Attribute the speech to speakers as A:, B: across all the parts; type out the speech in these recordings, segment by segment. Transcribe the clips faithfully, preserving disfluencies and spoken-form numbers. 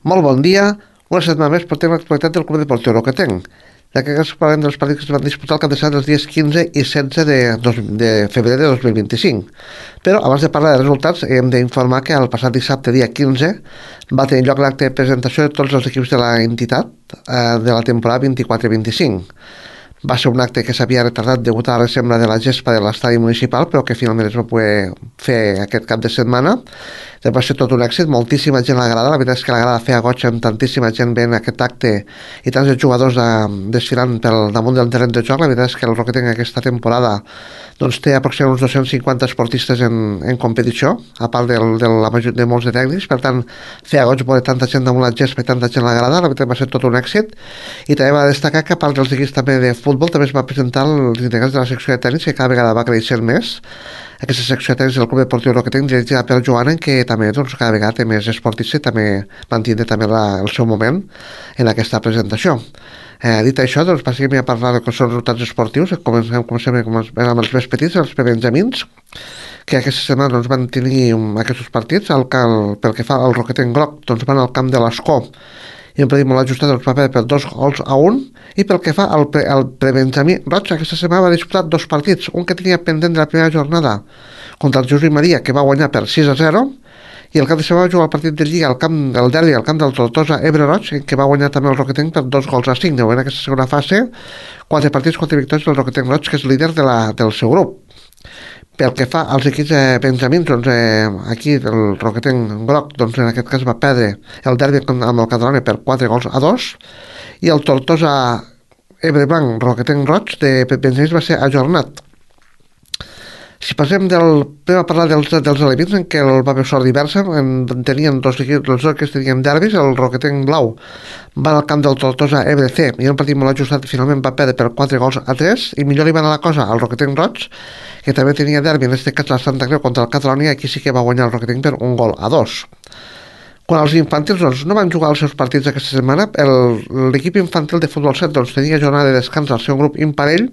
A: Molt bon dia. Una setmana més portem l'actualitat del Club Deportiu Roquetenc. D'aquests parlem dels partits que es van disputar el cap de setmana els dies quinze i setze de, dos, de febrer de dos mil vint-i-cinc. Però abans de parlar de resultats hem d'informar que el passat dissabte, dia quinze, va tenir lloc l'acte de presentació de tots els equips de la entitat eh, de la temporada vint-i-quatre vint-i-cinc. Va ser un acte que s'havia retardat degut a la ressembla de la gespa de l'estadi municipal, però que finalment es va poder fer aquest cap de setmana. Va ser tot un èxit, moltíssima gent a la grada, la veritat és que la grada feia goig amb tantíssima gent veient aquest acte i tants de jugadors de, desfilant pel damunt del terreny de joc. La veritat és que el Roquetenc aquesta temporada doncs, té aproximadament uns dos-cents cinquanta esportistes en, en competició, a part del, de, la major, de molts de tècnics, per tant feia goig veure tanta gent damunt la gespa i tanta gent a la grada, la veritat va ser tot un èxit. I també va destacar que a part dels equips també de futbol també es va presentar els integrants de la secció de tenis, que cada vegada va creixent més. Aquesta secció de tenis del Club Deportiu Roquetenc, dirigida per Joana, que també doncs, cada vegada té més esportistes i també van tindre també la, el seu moment en aquesta presentació. Eh, dit això, doncs passem a parlar de què són resultats esportius. Comencem, com sempre, amb els més petits, els prebenjamins, que aquesta setmana doncs, van tenir um, aquests partits. El, el, pel que fa al Roquetenc Groc, doncs, van al camp de l'Escó i un partit molt ajustat doncs, va perdre per dos gols a un. I pel que fa al, pre, al prebenjamí Roig, aquesta setmana va disputar dos partits, un que tenia pendent de la primera jornada contra el Josep Maria, que va guanyar per sis a zero, i el cap de setmana va jugar el partit de Lliga al camp del derbi, al camp del Tortosa Ebre Roig, que va guanyar també el Roquetenc per dos gols a cinc. De moment, en aquesta segona fase, quatre partits, quatre victòries del Roquetenc Roig, que és líder de la, del seu grup. Pel que fa als equips eh, benjamins, doncs, eh, aquí el Roquetenc Groc, doncs, en aquest cas va perdre el derbi amb el Catalunya per quatre gols a dos, i el Tortosa Ebre Blanc Roquetenc Roig de benjamins va ser ajornat. Si passem del, a parlar dels, dels alevins, en què el va haver sort diversa, en, tenien dos equips, els dos que tenien derbis, el Roquetenc Blau va al camp del Tortosa Ebre C, i un partit molt ajustat, finalment va perdre per quatre gols a tres, i millor li va anar la cosa al Roquetenc Roig, que també tenia derbi, en aquest cas la Santa Creu contra el Catalunya, aquí sí que va guanyar el Roquetenc per un gol a dos. Quan els infantils doncs, no van jugar els seus partits aquesta setmana, l'equip infantil de futbol set doncs, tenia jornada de descans al seu grup imparell,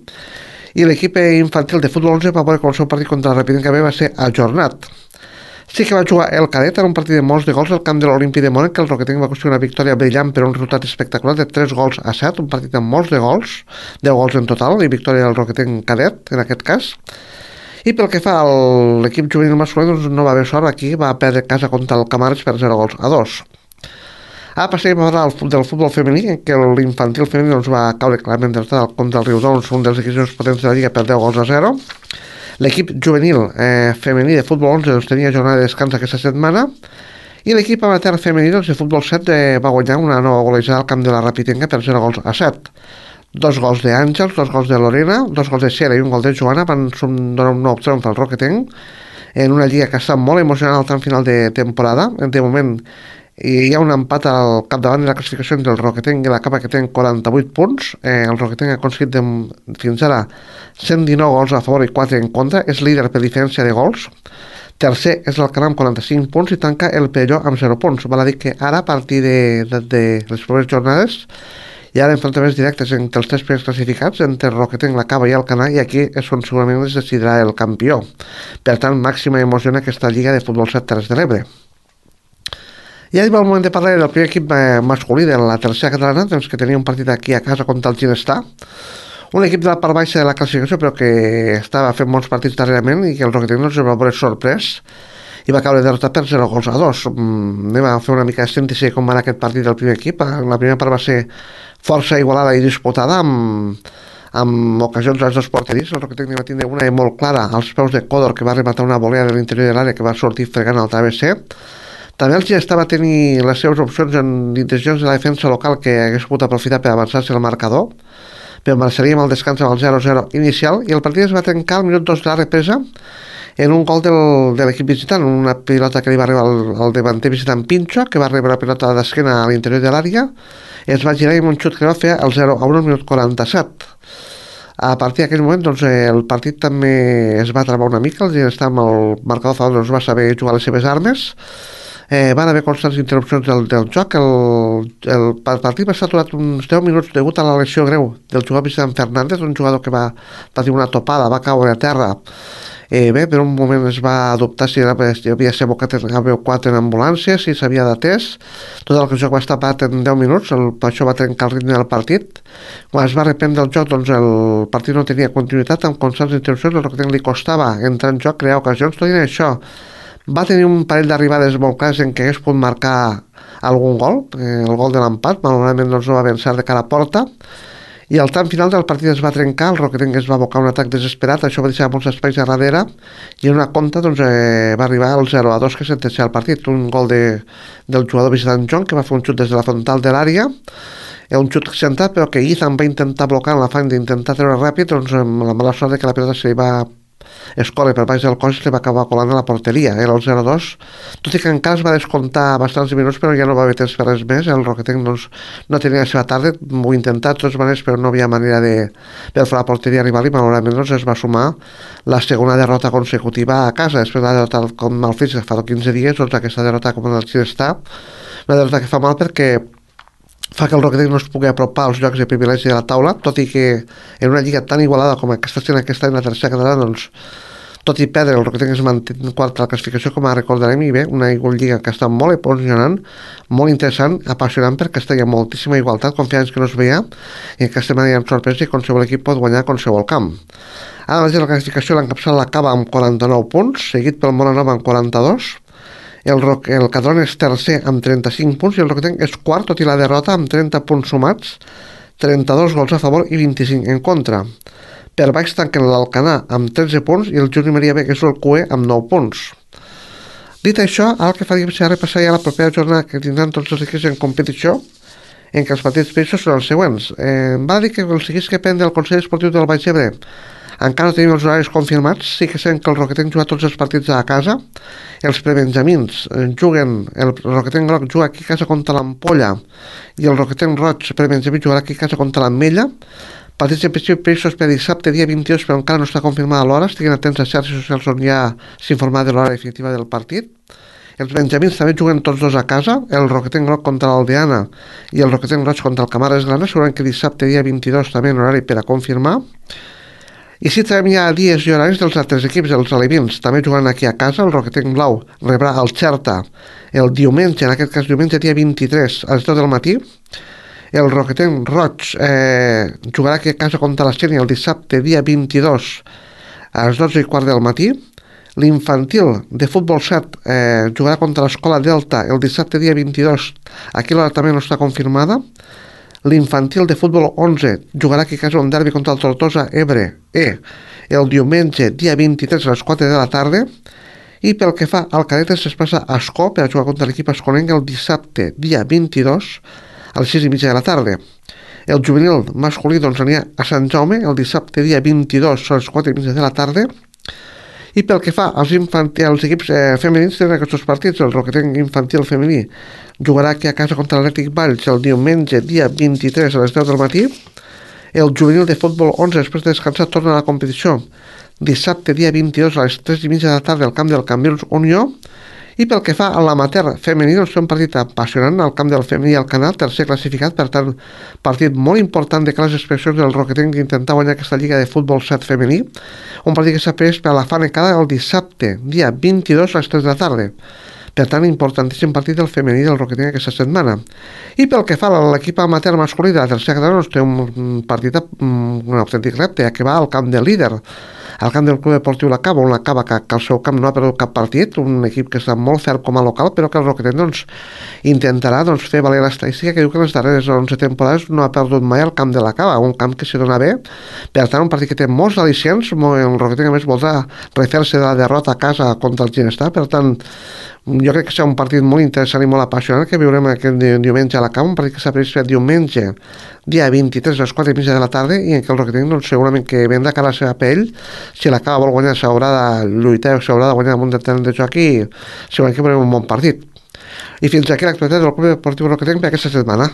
A: i l'equip infantil de futbol onze va veure com el seu partit contra el Rapidín Cabé va ser ajornat. Sí que va jugar el cadet en un partit de molts de gols al camp de l'Olímpic de Mónaco, que el Roquetenc va aconseguir una victòria brillant per un resultat espectacular de tres gols a set, un partit amb molts de gols, deu gols en total, i victòria del Roquetenc cadet, en aquest cas. I pel que fa a l'equip juvenil masculí, doncs no va haver sort, aquí va perdre casa contra el Camarles per zero gols a dos. Ara passem a parlar del futbol femení, en què l'infantil femení doncs, va caure clarament contra el Riudoms, un dels equips més potents de la Lliga, per deu gols a zero. L'equip juvenil eh, femení de futbol onze doncs, tenia jornada de descans aquesta setmana, i l'equip amateur femení doncs, de futbol set eh, va guanyar una nova golejada al camp de la Rapitenca per zero gols a set. Dos gols d'Àngels, dos gols de Lorena, dos gols de Xera i un gol de Joana van donar un nou triomf al Roquetenc en una lliga que està molt emocionant al tram final de temporada. De moment hi ha un empat al capdavant de la classificació entre el Roquetenc i la Capa, que tenen quaranta-vuit punts. Eh, el Roquetenc ha aconseguit de, fins ara cent dinou gols a favor i quatre en contra, és líder per diferència de gols. Tercer és l'Alcanar amb quaranta-cinc punts i tanca el Perelló amb zero punts. Val a dir que ara, a partir de, de, de les properes jornades, hi ha enfrontaments directes entre els tres primers classificats, entre el Roquetenc, la Cava i el Canar, i aquí és on segurament es decidirà el campió. Per tant, màxima emoció en aquesta lliga de futbol set Terres de l'Ebre. I ja arriba el moment de parlar del primer equip eh, masculí de la tercera catalana, doncs, que tenia un partit aquí a casa contra el Ginestar, un equip de la part baixa de la classificació, però que estava fent molts partits darrerament i que el Roquetenc no es va veure sorprès i va caure derrotat per zero gols a dos. Mm, anem a fer una mica de síntesi com va anar aquest partit del primer equip. La primera part va ser força igualada i disputada, amb, amb ocasions a les dues porteries. El Roquetenc va tindre una molt clara als peus de Codor, que va rematar una volea de l'interior de l'àrea que va sortir fregant al travesser. També el Ginestar va tenir les seves opcions en intencions de la defensa local, que hagués pogut aprofitar per avançar-se el marcador, però marxaríem al descans amb el zero zero inicial, i el partit es va trencar al minut dos de la represa en un gol del, de l'equip visitant, una pilota que li va arribar al, al davanter visitant Pincho, que va rebre la pilota d'esquena a l'interior de l'àrea, es va girar i amb un xut que va fer el zero a un al minut quaranta-set. A partir d'aquell moment doncs, el partit també es va travar una mica, el Ginestar amb el marcador a favor doncs, va saber jugar les seves armes. Eh, van haver constants interrupcions del, del joc. El, el partit va estar aturat uns deu minuts degut a la lesió greu del jugador visitant Fernández, un jugador que va patir una topada, va caure a terra Eh, bé, per un moment es va adoptar si era, si havia ser abocat en H B O quatre en ambulància, si s'havia d'atès. Tot el joc va estar parat en deu minuts, el, això va trencar el ritme del partit. Quan es va reprendre el joc, doncs el partit no tenia continuïtat, amb constants interrupcions, el Rocketenc li costava entrar en joc, crear ocasions, tot i això. Va tenir un parell d'arribades molt clares en què hagués pogut marcar algun gol, eh, el gol de l'empat, malauradament doncs, no va avançar de cara a porta, i al tram final del partit es va trencar, el Rocketenc es va abocar un atac desesperat, això va deixar molts espais a darrere, i en una compta doncs, eh, va arribar al zero a dos que sentenciava el partit, un gol de, del jugador visitant John, que va fer un xut des de la frontal de l'àrea, un xut centrat, però que Ethan va intentar blocar en l'afany d'intentar treure ràpid, doncs amb la mala sort de que la pilota se li va escorre per baix del cos i li va acabar colant a la porteria, era el zero dos, tot i que encara es va descomptar bastants minuts, però ja no va haver temps per res més, el Rocketenc doncs, no tenia la seva tarda, ho intentat de totes maneres, però no havia manera de per fer la porteria rival i malauradament doncs, es va sumar la segona derrota consecutiva a casa, després de la derrota com el Fitch fa quinze dies, doncs aquesta derrota com el Xilestà, una derrota que fa mal perquè fa que el Rocketenc no es pugui apropar als llocs de privilegi de la taula, tot i que en una lliga tan igualada com aquesta sent aquesta en la tercera catalana, doncs, tot i perdre, el Rocketenc es manté en quart a la classificació, com ara recordarem, i bé, una lliga que està molt emocionant, molt interessant, apassionant, perquè està hi ha moltíssima igualtat, confiança que no es veia, i aquesta setmana hi ha sorpresa i qualsevol equip pot guanyar a qualsevol camp. Ara mateix la classificació l'encapçala l'acaba amb quaranta-nou punts, seguit pel Molanova amb quaranta-dos, El, Roc, el Cadron és tercer amb trenta-cinc punts i el Rocketenc és quart, tot i la derrota, amb trenta punts sumats, trenta-dos gols a favor i vint-i-cinc en contra. Per baix tanquen l'Alcanar amb tretze punts i el Juni Maria B, que és el Q E, amb nou punts. Dit això, ara el que faríem serà repassar ja la propera jornada que tindran tots els equips en competició, en què els partits peixos són els següents. Eh, va dir que els equips que depèn del Consell Esportiu del Baix Ebre encara no tenim els horaris confirmats, sí que sabem que el Rocketenc juga tots els partits a casa, els prebenjamins juguen, el Rocketenc Groc juga aquí a casa contra l'Ampolla i el Rocketenc Roig prebenjamí jugarà aquí a casa contra l'Ametlla, partits en principi previstos per dissabte dia vint-i-dos, però encara no està confirmada l'hora, estiguin atents a xarxes socials on ja s'informarà de l'hora definitiva del partit. Els benjamins també juguen tots dos a casa, el Rocketenc Groc contra l'Aldeana i el Rocketenc Roig contra el Camares Grana, segurament que dissabte dia vint-i-dos també en horari per a confirmar. I si trobem ja dies i horaris dels altres equips, els alevins, també jugant aquí a casa, el Rocketenc Blau rebrà el Xerta el diumenge, en aquest cas diumenge dia vint-i-tres a les deu del matí, el Rocketenc Roig eh, jugarà aquí a casa contra la Xènia el dissabte dia vint-i-dos a les dotze i quart del matí, l'infantil de futbol set eh, jugarà contra l'Escola Delta el dissabte dia vint-i-dos, aquí l'hora també no està confirmada, l'infantil de futbol onze jugarà aquí a casa un derbi contra el Tortosa Ebre E el diumenge dia vint-i-tres a les quatre de la tarda, i pel que fa al cadetes es passa a Escó per a jugar contra l'equip esconenc el dissabte dia vint-i-dos a les sis i mitja de la tarda. El juvenil masculí doncs anirà a Sant Jaume el dissabte dia vint-i-dos a les quatre i mitja de la tarda. I pel que fa als, infantil, als equips eh, femenins tenen aquests partits, el Rocketenc infantil femení jugarà aquí a casa contra l'Atlètic Valls el diumenge dia vint-i-tres a les deu del matí, el juvenil de futbol onze després de descansar torna a la competició dissabte dia vint-i-dos a les tres i mitja de la tarda al camp del Cambrils Unió. I pel que fa a l'amateur femení, doncs fer un partit apassionant al camp del femení al Canal, tercer classificat, per tant, partit molt important de les expressions del Rocketenc d'intentar guanyar aquesta lliga de futbol set femení, un partit que s'ha pres per a la Fanecada el dissabte, dia vint-i-dos a les tres de la tarda. Per tant, importantíssim partit del femení del Rocketenc aquesta setmana. I pel que fa a l'equip amateur masculí de la tercera catalana, doncs té un partit, un autèntic repte, que va al camp del líder, al camp del Club Deportiu La Cava, on la Cava que, que al seu camp no ha perdut cap partit, un equip que està molt ferm com a local, però que el Rocketenc doncs, intentarà doncs, fer valer l'estadística que diu que en les darreres onze temporades no ha perdut mai al camp de La Cava, un camp que se dona bé, per tant un partit que té molts al·licients, el Rocketenc a més voldrà refer-se de la derrota a casa contra el Ginestar, per tant jo crec que serà un partit molt interessant i molt apassionant que viurem aquest diumenge a la Cava, un partit que s'ha previst fer diumenge dia vint-i-tres a les quatre i mitja de la tarda, i en què el Rocketenc doncs, segurament que vendrà cara a la seva pell, si la Cava vol guanyar s'haurà de lluitar o s'haurà de guanyar amb un determinat de joc, i segurament que veurem un bon partit. I fins aquí l'actualitat del Club Deportiu Rocketenc per aquesta setmana.